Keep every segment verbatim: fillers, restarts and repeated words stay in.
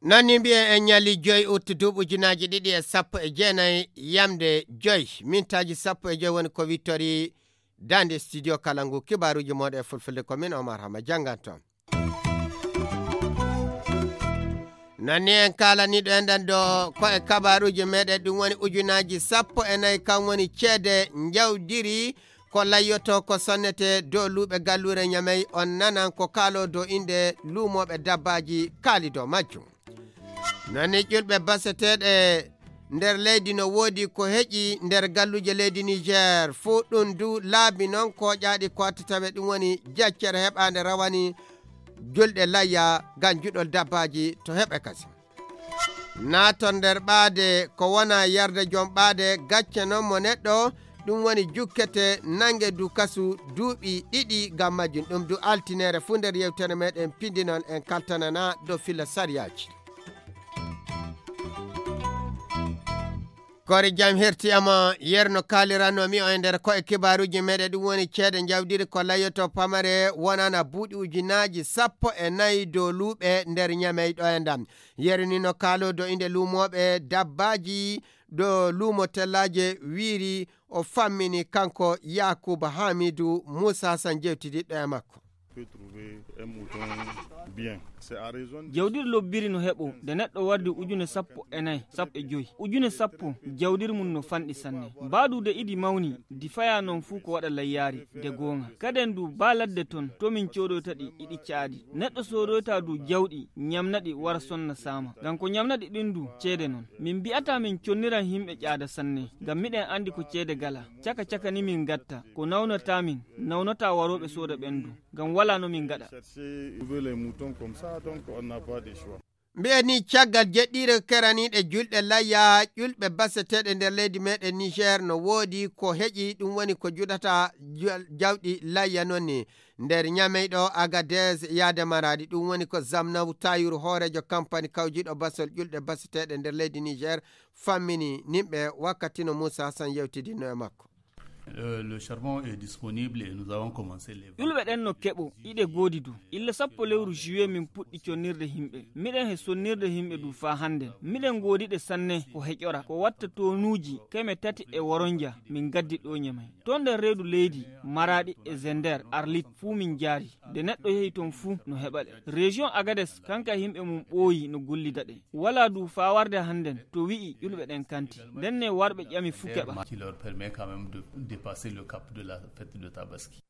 Noon ni mbiyen en ñalli joyi ut duuɓi ujunaaji ɗiɗi e sappo e jeenayi yamde joyi mintaaji sappo e joyi woni ko wittori daande studio kala ngu kibaaruuji mooɗo e fulfulde ko min Omar Hama jannganto. Noon ni en kaalaniiɗo en ɗan ɗo ko e kabaaruuji meɗen ɗum woni ujunaaji sappo e nayi kam woni ceede njawdiri ko layyoto ko sonnete dow luuɓe galluure ñamey on nanan ko kaaloo dow innde luumooɓe dabbaaji kaali dow majjum. Noon ni ƴulɓe baseteeɗe nder leydi no woodi ko heƴi nder galluuje leydi Niger fuu ɗum du laabi noon kooƴaaɗi ko watta tawe ɗum woni jaccere heɓaande rawani julɗe layya ngam juɗol dabbaaji to heɓe kasi. Naaton nder ɓaade ko wona yarde joom ɓaade gacce noon mo neɗɗo ɗum woni jukkete nannge du kasu duuɓi ɗiɗi ngam majjum ɗum du altineere fuu nder yewtere meɗen pindinon en kaltanana dow fila sariyaaji. Kori jam herti ama yerno kaliranno mi o e nder ko e kibaaruuji meɗen ɗum woni ceede njawdiri ko layoto pamare wonana buuɗi ujunaaji sappo e nayi dow luuɓe nder ñamey ɗo e ndam. Yeru ni no kaalo do inde luumooɓe dabbaaji do luumo tellaaje wiiri o fammini kanko Yaakuba Haamiidu Muusa Hasan jewtidiɗɗo e makko. Jawdiri lobbiri no heɓo nde neɗɗo wardi ujune sappo e nayi sappo e joyi ujune sappo. Jawdiri mum no fanɗi sanne. Mbaɗude idi mawni di faya noon fuu ko waɗa layyaari de goonga kaden du ba ladde toon to min coodoyta ɗi iɗi caadi. Neɗɗo soodoyta du jawɗi ñamna ɗi wara sonna saama ngam ko ñamna ɗi ɗin du ceede noon. Min mbi'ataa min conniran yimɓe ƴaada sanne ngam miɗen anndi ko ceede gala. Caka caka ni min ngatta ko nawnataa min nawnataa warooɓe sooda ɓen du ngam walaa no min ngaɗa. Mbi'en ni caggal jeɗɗiire keraniiɗe julɗe layya ƴulɓe baseteeɗe nder leydi meɗen Niger no woodi ko heƴi ɗum woni ko juɗata jawɗi layya noon ni. Nder ñameyɗo Agadez yaade maraɗi ɗum woni ko Zamnaw Tayur hooreejo kampani kawjiɗo basol ƴulɗe baseteeɗe nder leydi Niger fammini nimɓe wakkati no Moussa Hassan yewtidinno e makko. Le charbon est disponible et nous avons commencé les ƴulɓe ɗen no keɓo iɗe goodi du. Illa sappo lewru juillet min puɗɗi connirde yimɓe. Miɗen he sonnirde yimɓe du faa hannden. Miɗen goodi ɗe sanne ko heƴora ko watta tonuuji keme tati e woronja min gaddi ɗo ñamay. Toon nder reedu leydi maraɗi e zender arlit fuu min jaari. Nde neɗɗo yehi toon fuu no heɓa ɗe. Région Agades kanka yimɓe mum ɓooyi no gollida ɗe. Walaa du faa warde hannden to wi'i ƴulɓe ɗen kanti. Ndenne warɓe ƴami fuu keɓa. Qui leur permet quand même de dépasser le cap de la fête de Tabaski.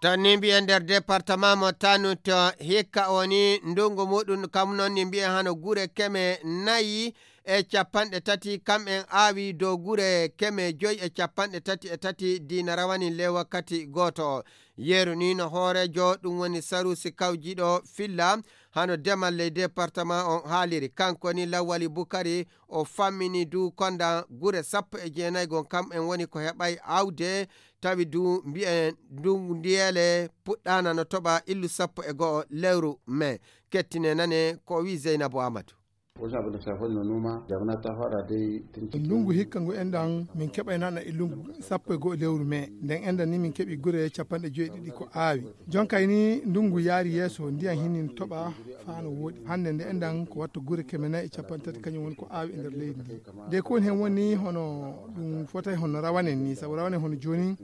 Tan ni mbiyen nder département mo Tanut hikka o ni ndungu muɗum kam noon ni mbiyen hano gure keme nayi e capanɗe tati kam en aawi dow gure keme joyi e capanɗe tati e tati diina rawani le wakkati gooto o. Yeru ni no hooreejo ɗum woni sarusi kawjiɗo filla hano demal ley département on haaliri kanko ni lawwali bukari o fammini du konda gure sappo e jeenayi gon kam en woni ko heɓay awde tawi du mbiyen ndu ndiyele puɗɗana no toɓa illu sappo e go'o lewru mai. Kettine nane ko wi Zeynabu Amadu. Wasu abin da shafi noma damuna ta fara dai tun cikin Ndungu hikka ngu enɗan min keɓaynana e lungu sappo e go'o lewru mai nden enɗan ni min keɓi gure capanɗe joyi ɗiɗi ko aawi. Jonkay ni ndungu yaari yeeso ndiyan hinnin toɓa faa no wooɗi hannde nde enɗan ko watta gure keme nayi e capanɗe tati kañum woni ko aawi e nder leydi ndi. De ko woni hen woni hono ɗum fotay hono rawanen ni sabu rawanen hono jooni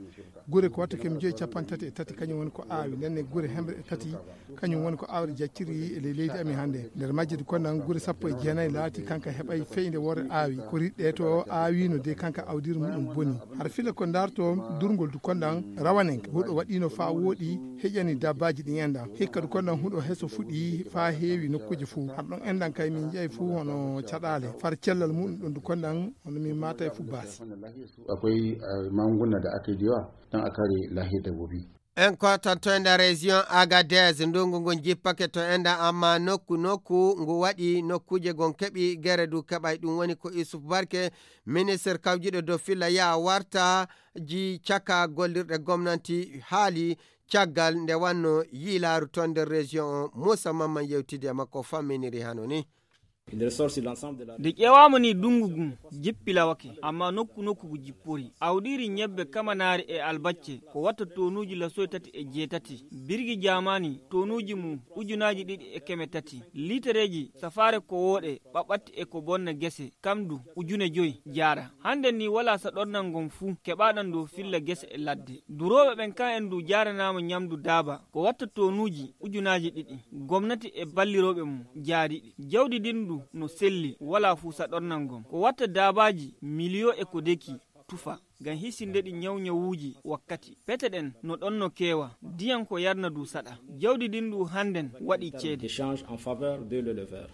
gure ko watta keme joyi capanɗe tati e tati kañum woni ko aawi ndenne gure hemre e tati kañum woni ko awre jacciri e ley leydi amin hannde. Nder majje du konnan gure sappo e jeenayi laati kanka heɓay feyde worre aawi ko riɗɗe to aawino de kanka awdiri muɗum boni. Har fila ko darto durngol du konnan rawanen huɗo waɗino faa wooɗi heƴani dabbaji ɗin enɗan hikka du konnan huɗo heso fuɗi faa heewi nokkuji fuu har ɗon enɗan kay min jeyi fuu hono caɗale far cellal muɗum ɗon du konnan hono min matay fuu baasi. Akwai magunguna da aka yi da yawa don a kare lahiyar dabbobi. En kotanto e nder région Agadez ndungu ngun jippake to enɗan amma nokku nokku ngu waɗi nokkuje gon keɓi gere du keɓay ɗum woni ko Isuf Barke ministre kawjiɗo dow filla yaa warta ji caka gollirɗe gomnanti haali caggal nde wanno yiilaaru ton nder région on Moussa Mamman yewtidi e makko famminiri hano ni. Nde ƴeewaama ni, dunngu ngun jippilawake, amma nokku nokku ngu jippori. Awdiiri ñebbe kamanaari e albacce ko watta tonuuji lasoy tati e jeetati. Birgi jaamaani, tonuuji mum ujunaaji ɗiɗi e keme tati. Liitereeji safaare ko wooɗe, ɓaɓɓatti e ko bonna gese, kam du ujune joy jaara. Hannden ni walaa saɗornal ngon fuu keɓaaɗan dow filla gese e ladde. Durooɓe ɓen kan en du jaaranaama ñamdu daaba ko watta tonuuji ujunaaji ɗiɗi. Gomnati e ballirooɓe mum jaari ɗi. Jawdi ndin du no selli, walaa fuu saɗornal ngon. Ko watta daabaaji miliyo e ko deki tufa ngam hisinde ɗi ñawñawuuji wakkati. Pete ɗen no ɗon no keewa, diyan ko yarna du saɗa. Jawdi ndin du hannden waɗi ceede. D'échange en faveur de l'éleveur.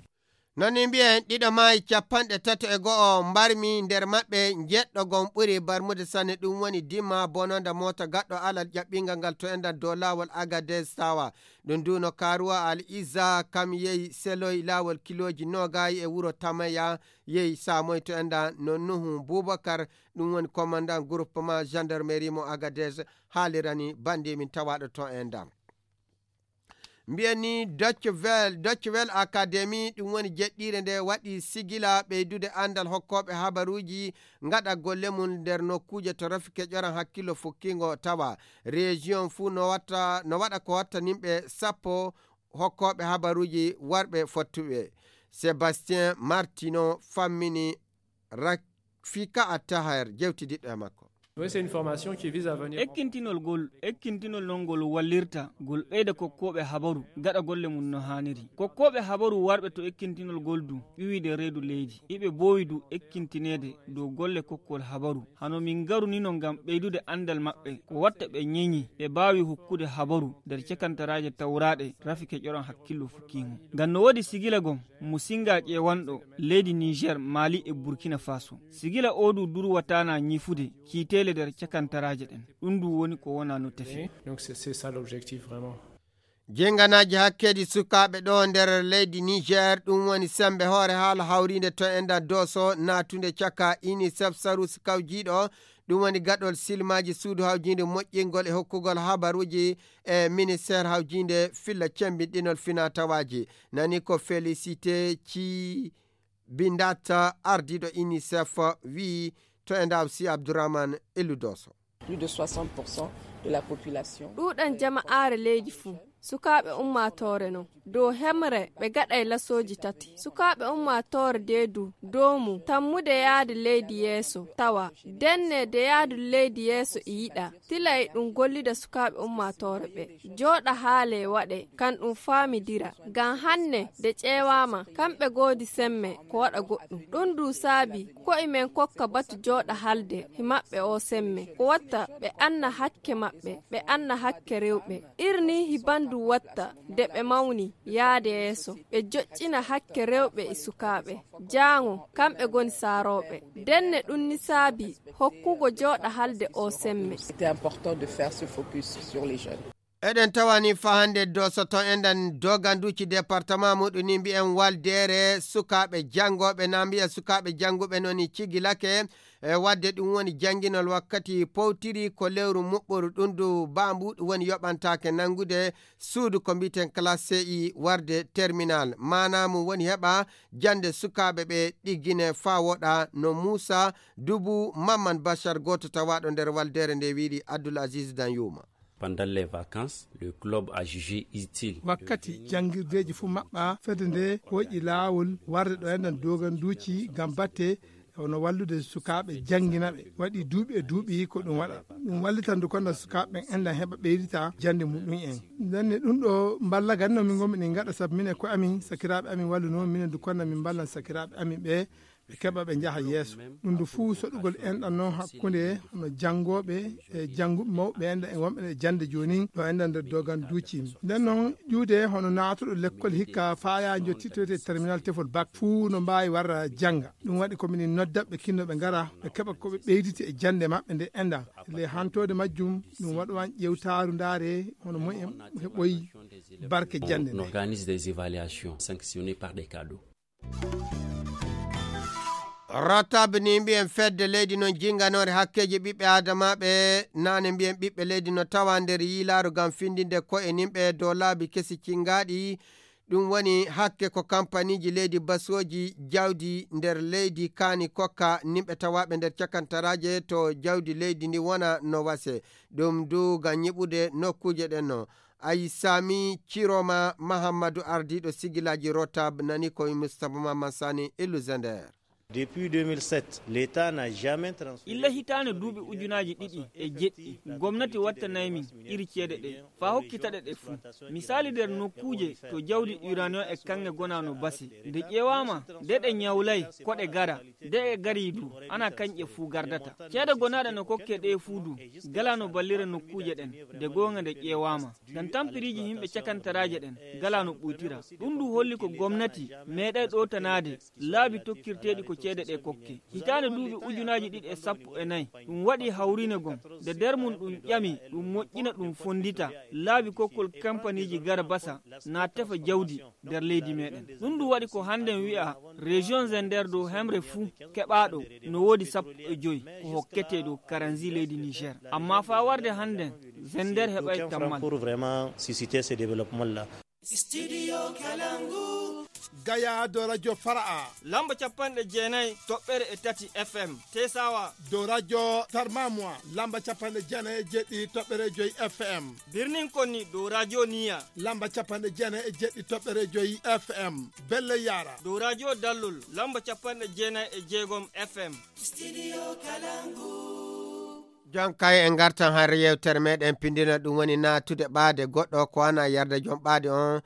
Non ni mbiyen ɗiɗo maayi, capanɗe tato e go'o mbarmi, nder maɓɓe njeɗɗo gon ɓuri barmude sanne, ɗum woni Dima bononda moota gaɗɗo alal ƴaɓɓingal ngal to enɗan dow laawol Agadez Tawa. Ɗum du no Karuwa Al Iza kam yehi seloy laawol kilooji noogayi e wuro Tamaya yehi Samoy to enɗan no Nuhu Bubakar, ɗum woni commandant groupement gendarmerie mo Agadez haalirani bandi min tawaaɗo to enɗan. Mbiyen ni Deutsche Welle, Deutsche Welle Academy, ɗum woni jeɗɗiire nde waɗi sigila ɓeydude anndal hokkooɓe habaruuji ngaɗa golle mum nder nokkuuje to rafi keƴoran hakkillo fukkingo tawa. Région fuu no watta, no waɗa ko watta nimɓe sappo hokkooɓe habaruuji warɓe fottuɓe. Sébastien Martino fammini Rafika Attaher jewtidiɗɗo e makko. Oui, c'est une formation qui vise à venir. Ekkintinol gol, ekkintinol non ngol wallirta, gol ɓeyda kokkooɓe habaru gaɗa golle mum no haaniri. Kokkooɓe habaru warɓe to ekkintinol gol du ƴuwide reedu leydi, iɓe boowi du ekkintineede dow golle kokkol habaru. Hano min ngaru ni no ngam ɓeydude anndal maɓɓe, ko watta ɓe ñeñi ɓe baawi hokkude habaru nder cekantaraaje tawraaɗe rafi keƴoran hakkillo fukkiimo. Ngam no woodi sigila gon mo singa ƴeewanɗo leydi Niger, Mali e Burkina Faso. Sigila oo du durwataana ñifude kiiteele nder cakantaraaje ɗen. Ɗum du woni ko wona no tefi. Donc c'est, c'est ça l'objectif vraiment. Jenganaaji hakkeeji sukaaɓe ɗo nder leydi Niger, ɗum woni sembe hoore haala hawriinde to enɗan Doso, naatunde caka UNICEF saru kawjiiɗo, ɗum woni gaɗol silmaaji suudu hawjiinde moƴƴingol e hokkugol habaruuji e ministeer hawjiinde filla cemmbinɗinol finaa tawaaji. Nani ko Félicité ci Bindata, ardiiɗo UNICEF, wi'i to e ndawsi Abdourahmane Elou Doso. Plus de soixante pour cent de la population. Ɗuuɗan jama'aare leydi fuu, sukaaɓe ummaatoore non. Dow hemre, ɓe gaɗay lasooji tati. Sukaaɓe ummaatoore de du, doomu, tammude yaade leydi yeeso, tawa, denne de yaadu leydi yeeso e yiɗa. Tilay ɗum gollida sukaaɓe ummaatoore ɓe. Jooɗa haale waɗe, kan ɗum faamidira. Ngam hanne, de ƴeewaama, kamɓe goodi semme, ko waɗa goɗɗum. Ɗum du saabi, ko'e men kokka batu jooɗa halde, hi maɓɓe o semme. Ko watta ɓe anna hakke maɓɓe, ɓe anna hakke rewɓe. Irni hi bandu watta, de ɓe mawni, yaade yeeso. Ɓe joƴƴina hakke rewɓe e sukaaɓe. Jaango, kamɓe goni saarooɓe. Denne ɗum ni saabi, hokkugo jooɗa halde o semme. C'était important de faire ce focus sur les jeunes. Eɗen tawani fa hannde Doso to enɗan doganduuji département muɗum ni mbiyen waldeere sukaaɓe janngooɓe na mbiya sukaaɓe jannguɓe noon cigilake. E wadde ɗum woni jannginol wakkati powtiri ko lewru muɓɓoru ɗum du bambu ɗum woni yoɓantaake nanngude suudu ko mbiten classe C I warde terminal. Maanaa mum woni heɓa jannde sukaaɓe ɓe ɗiggine faa woɗa no Muusa Dubu Mamman Bachar gooto tawaaɗo nder waldeere nde wiiri Abdoul Aziz Danyuma. Pendant les vacances, le club a jugé utile. Wakkati janngirdeeji fuu maɓɓa, fedde nde hooƴi laawol warde ɗo enɗan doganduuji ngam batte hono wallude sukaaɓe janngina ɓe. Waɗi duuɓi e duuɓi ko ɗum waɗa. Ɗum wallitan du konna sukaaɓe ɓen enɗan heɓa ɓeydita jannde muɗum en. Ndenne ɗum ɗo mballagannoo min ngonmi ɗin ngaɗa sabu minen ko amin sakiraaɓe amin walluno minen du konna min mballan sakiraaɓe amin ɓe ɓe keɓa ɓe njaha yeeso. Ɗum du fuu soɗugol enɗan noon hakkunde hono janngooɓe e jannguɓe mawɓe enɗan e wonɓe e jannde joonin ɗo enɗan nder doganduuji. Nden noon ƴuwde hono naatuɗo lekkol hikka faaya jottitoyte terminal tefol bac fuu no mbaawi warra jannga. Ɗum waɗi ko minin nodda ɓe kinno ɓe ngara ɓe keɓa ko ɓe ɓeyditi e jannde maɓɓe nde enɗan. Le hantoode majjum ɗum waɗowan ƴewtaaru ndaare hono moyen heɓoyi barke jannde nde. On organise des évaluations sanctionnées par des cadeaux. Rotab ni mbiyen fedde leydi noon jinnganoore hakkeeji ɓiɓɓe aadamaaɓe, naane mbiyen ɓiɓɓe leydi no tawa nder yiilaaru ngam findinde ko'e nimɓe dow laabi kesi cinngaaɗi, Ɗum woni hakke ko kampaniiji leydi basooji jawdi nder leydi kaani kokka nimɓe tawaaɓe nder cakantaraaje to jawdi leydi ndi wona no wase. Ɗum du ngam nyiɓude nokkuuje ɗen no. Ayi Sami Ciroma Mahammadu ardiiɗo sigilaaji Rotab nani ko Mustapha Mamman Sani Illu Zender. Depuis deux mille sept, l'État n'a jamais transféré. Illa hitaande duuɓi ujunaaji ɗiɗi e jeɗɗi, gomnati wattanay min iri ceede ɗe, faa hokkita ɗe ɗe fuu. Misaali nder nokkuuje to jawdi uranium e kaŋŋe gonaa no basi. Nde ƴeewaama, de ɗe nyawlay ko ɗe gara, de e garii du, ana kañƴe fuu gardata. Ceede gonaaɗe no kokkee ɗee fuu du, galaa no ballira nokkuuje ɗen, de goonga nde ƴeewaama. Ngam tampiriiji yimɓe cakantaraaje ɗen, galaa no ɓuytira. Ɗum du holli ko gomnati meeɗay ɗootanaade laabi tokkirteeɗi ko ceede ɗe kokke. Hitaande duuɓi ujunaaji ɗiɗi e sappo e nayi, ɗum waɗi hawriine gom, de nder mum ɗum ƴami ɗum moƴƴina ɗum fonndita laabi kokkol kampaniiji gara basa naa tefa jawdi nder leydi meeɗen. Ɗum ɗum waɗi ko hannden wi'a région Zender dow hemre fuu keɓaaɗo no woodi sappo e joy ko hokketee dow karanzi leydi Niger. Amma faa warde hannden Zender heɓay tammal. Pour vraiment susciter ce développement-là. Studio Kalangu. Gaya dow radio Fara'a. Lamba capanɗe jeenayi toɓɓere e tati F M. Tesawa. Dow radio Tarmamwa. Lamba capanɗe jeenayi e jeɗɗi toɓɓere joy F M. Birnin Konni dow radio Niya. Lamba capanɗe jeenayi e jeɗɗi toɓɓere joy F M. Belle Yara. Dow radio Dallol. Lamba capanɗe jeenayi e jeegom F M. Studio Kalangu. Jonka en ngartan har yewtere meɗen pindina ɗum woni natude ɓaade goɗɗo ko wana yarda joom ɓaade on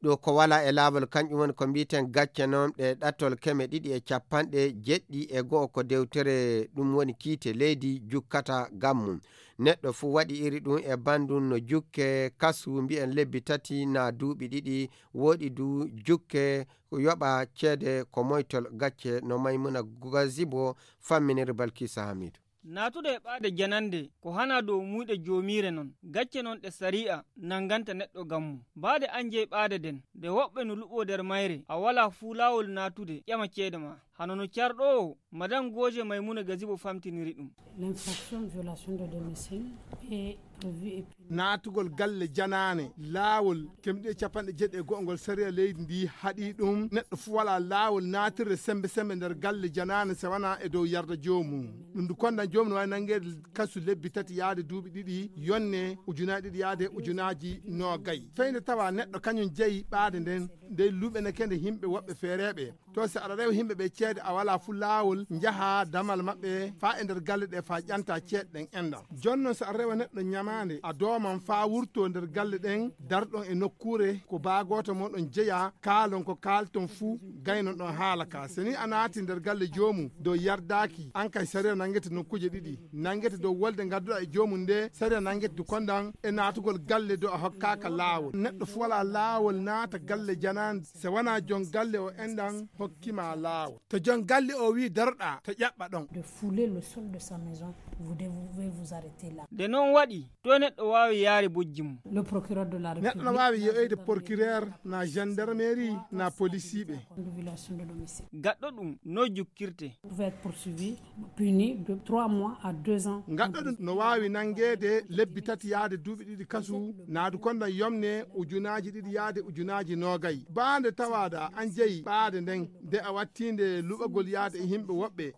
ɗo ko wala e laawol kanƴum woni ko mbiten gacce noon ɗe ɗattol keme ɗiɗi e capanɗe jeɗɗi e go'o ko dewtere ɗum woni kiite leydi jukkata gam mum. Neɗɗo fuu waɗi iri ɗum e bandum no jukke kasu mbiyen lebbi tati na duuɓi ɗiɗi woɗi du jukke yoɓa ceede ko moytol gacce no Maymuna Gazibo famminiri Balkisa Hamidu. Naatude e ɓaade janande ko hana dow muyɗe joomiire non, gacce non ɗe sari'a nanganta neɗɗo gam mum. Baade an jeyi ɓaade den, nde woɓɓe no luɓoo nder mayre, a walaa fuu laawol naatude ƴama ceede ma. Hano no carɗoowo, Madame Goje Maymuna Gazibo famtiniri ɗum. L'infraction violation de domicile est prévue et punie. Naatugol galle janaane, laawol kemɗe capanɗe jeɗɗi e go'o ngol sariya leydi ndi haɗi ɗum. Neɗɗo fuu walaa laawol naatirde sembe sembe nder galle janaane se wanaa e dow yarda joomum. Ɗum ndu kondan joomum no waawi nangeede kasu lebbi tati yaade duuɓi ɗiɗi, yonne ujunaaji ɗiɗi yaade ujunaaji noogay. Fey nde tawa neɗɗo kañum jeyi ɓaade nden, nde luɓeneke nde yimɓe woɓɓe feereeɓe. To si aɗa rewa yimɓe ɓe ceede a walaa fuu laawol, njaha damal maɓɓe faa e nder galle ɗe faa ƴanta ceeɗe ɗen enɗan. Jooni non si aɗa rewa neɗɗo ñamaande, a dooman faa wurtoo nder galle ɗen, darɗon e nokkuure ko baa gooto mon ɗon jeyaa, kaalon ko kaalton fuu, gaynon ɗon haala ka. Si ni a naati nder galle joomum dow yardaaki, an kay sariya nangete nokkuuje ɗiɗi. Nangete dow wolde ngadduɗaa e joomum nde, sariya nangete du kondan e naatugol galle dow a hokkaaka laawol. Neɗɗo fuu walaa laawol naata galle janaande, se wanaa jon galle o enɗan hokkima laawol. To jon galle o wi'i daroɗaa, to ƴaɓɓa ɗon. De fouler le sol de sa maison, vous devez vous arrêter là. Nde non waɗi, to neɗɗo waawi yaari bojji mum. Le procureur de la République. Neɗɗo no waawi ye'oyde procureur na gendarmerie na polisiiɓe. De violation de domicile. Gaɗɗo ɗum no jukkirte. Pouvait être poursuivi, puni de trois mois à deux ans. Gaɗɗo ɗum no waawi nangeede lebbi tati yaade duuɓi ɗiɗi kasu, naadu kondan yomne ujunaaji ɗiɗi yaade ujunaaji noogay. Baande tawaada an jeyi ɓaade nden, nde a wattiinde luɓagol yaade e yimɓe woɓɓe,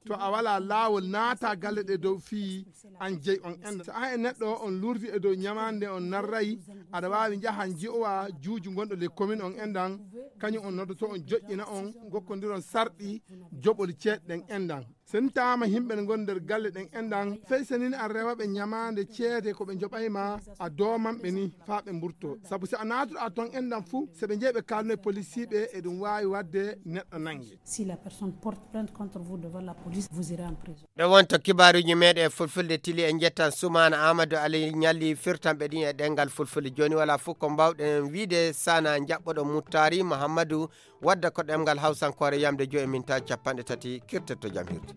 to a walaa laawol naata galle ɗe dow fii an jeyi on enɗan. So an e neɗɗo on lurdi e dow ñamaande on narray, aɗa waawi njahan ji'owa juuju gonɗo les communes on enɗan, kañum on noddoto on joƴƴina on, gokkondiron sarɗi joɓol ceeɗe ɗen enɗan. Sen taama yimɓe ne ngon nder galle ɗen enɗan, fey senin an rewaɓe ñamaande ceede ko ɓe joɓayma a doomanɓe ni faa ɓe mburto. Sabu si a naatuɗa ton enɗan fuu, se ɓe jeyi ɓe kaalno e polisiiɓe e ɗum waawi waɗde neɗɗo nange. Si la personne porte plainte contre vous devant la police, vous irez en prison. Ɗo wonto kibaaruuji meeɗen e fulfulde tili en njettan Sumaana Amadou Ali ñalli firtanɓe ɗin e ɗengal fulfulde. Jooni wala fof ko mbawɗen wiide sana njaɓɓoɗo Muttari Muhammadu wadda ko ɗemngal Hawsankoore yamde joyi e minta capanɗe tati kirtetto jam hirde.